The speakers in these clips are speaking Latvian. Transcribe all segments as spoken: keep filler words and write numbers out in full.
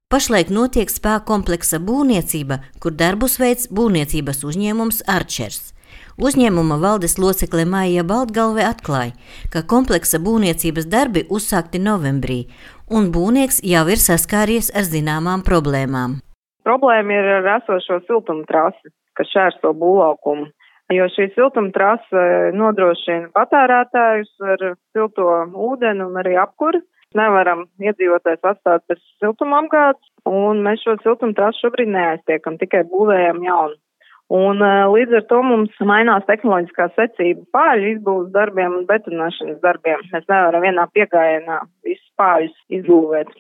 Pašlaik notiek spā kompleksa būvniecība, kur darbus veic būvniecības uzņēmums Arčers. Uzņēmuma valdes locekle Maija Baltgalve atklāja, ka kompleksa būvniecības darbi uzsākti novembrī, un būvnieks jau ir saskāries ar zināmām problēmām. Problēma ir ar esošo siltumtrasi, kas šķērso būvlaukumu, jo šī siltumtrase nodrošina patērētājus ar silto ūdeni un arī apkuri. Nevaram iedzīvotājs atstāt bez siltumapgādes, un mēs šo siltumtrasu šobrīd neaiztiekam, tikai būvējam jaunu. Un līdz ar to mums mainās tehnoloģiskā secība pāļu izbūves darbiem un betonēšanas darbiem. Mēs nevaram vienā piegājienā visus pāļus izbūvēt.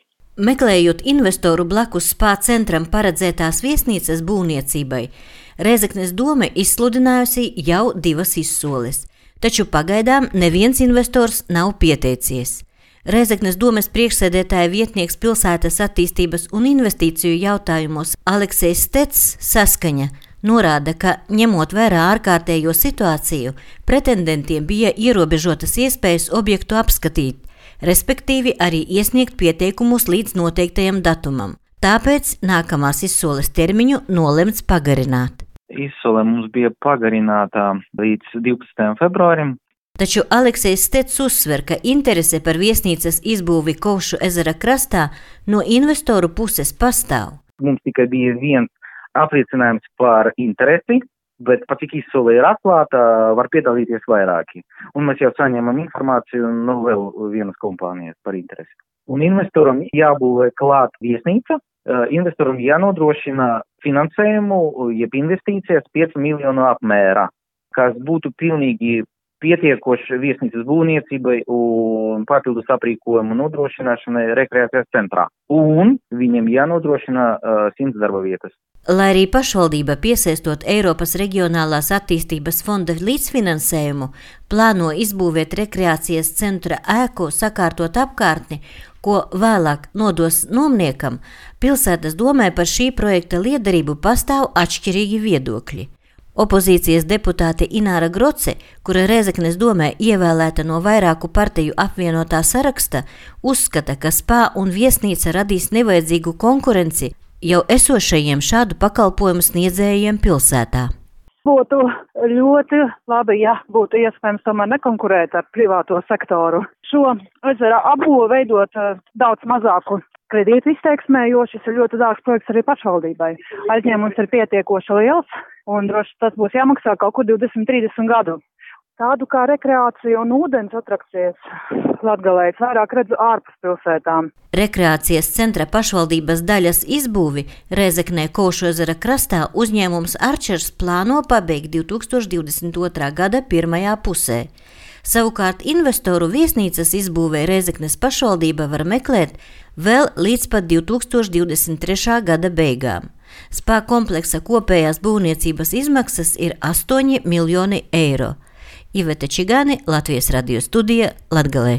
Meklējot investoru blakus spā centram paredzētās viesnīcas būvniecībai, Rēzeknes dome izsludinājusi jau divas izsoles, taču pagaidām neviens investors nav pieteicies. Rēzeknes domes priekšsēdētāja vietnieks pilsētas attīstības un investīciju jautājumos Aleksejs Stets saskaņa norāda, ka, ņemot vērā ārkārtējo situāciju, pretendentiem bija ierobežotas iespējas objektu apskatīt, respektīvi arī iesniegt pieteikumus līdz noteiktajam datumam. Tāpēc nākamās izsoles termiņu nolemts pagarināt. Izsole mums bija pagarināta līdz divpadsmitajam februārim. Taču Aleksejs Stets uzsver, ka interese par viesnīcas izbūvi Kovšu ezera krastā no investoru puses pastāv. Mums tikai bija viens apliecinājums par interesi, bet pat cik izsole ir atklāta, var piedalīties vairāki. Un mēs jau saņemam informāciju no vēl vienas kompānijas par interesi. Un investoram jābūvē klāt viesnīca, investoram jānodrošina finansējumu, jeb investīcijas pieci miljonu apmērā, kas būtu pilnīgi pietiekoši viesnīcas būvniecībai un papildus aprīkojumu nodrošināšanai rekreācijas centrā. Un viņiem jānodrošina uh, simts darba vietas. Lai arī pašvaldība piesaistot Eiropas reģionālās attīstības fonda līdzfinansējumu, plāno izbūvēt rekreācijas centra ēku, sakārtot apkārtni, ko vēlāk nodos nomniekam, pilsētas domē par šī projekta liederību pastāv atšķirīgi viedokļi. Opozīcijas deputāte Ināra Groce, kura Rēzeknes domē ievēlēta no vairāku partiju apvienotā saraksta, uzskata, ka spā un viesnīca radīs nevajadzīgu konkurenci jau esošajiem šādu pakalpojumu sniedzējiem pilsētā. Būtu ļoti labi, ja būtu iespējams tomēr nekonkurēt ar privāto sektoru. Šo ezera apbūvi veidot daudz mazāku kredītu izteiksmē, jo šis ir ļoti dārgs projekts arī pašvaldībai. Aizņēmums ir pietiekoši liels, un droši tas būs jāmaksā kaut kur divdesmit trīsdesmit gadu. Tādu kā rekreācija un ūdens atrakcijas Latgalē es vairāk redzu ārpus pilsētām. Rekreācijas centra pašvaldības daļas izbūvi Rēzeknē Kovšu ezera krastā uzņēmums Arčers plāno pabeigt divi tūkstoši divdesmit otrā gada pirmajā pusē. Savukārt investoru viesnīcas izbūvē Rēzeknes pašvaldība var meklēt vēl līdz pat divi tūkstoši divdesmit trešā gada beigām. Spā kompleksa kopējās būvniecības izmaksas ir astoņi miljoni eiro. Iveta Čigāne, Latvijas radio studija, Latgalē.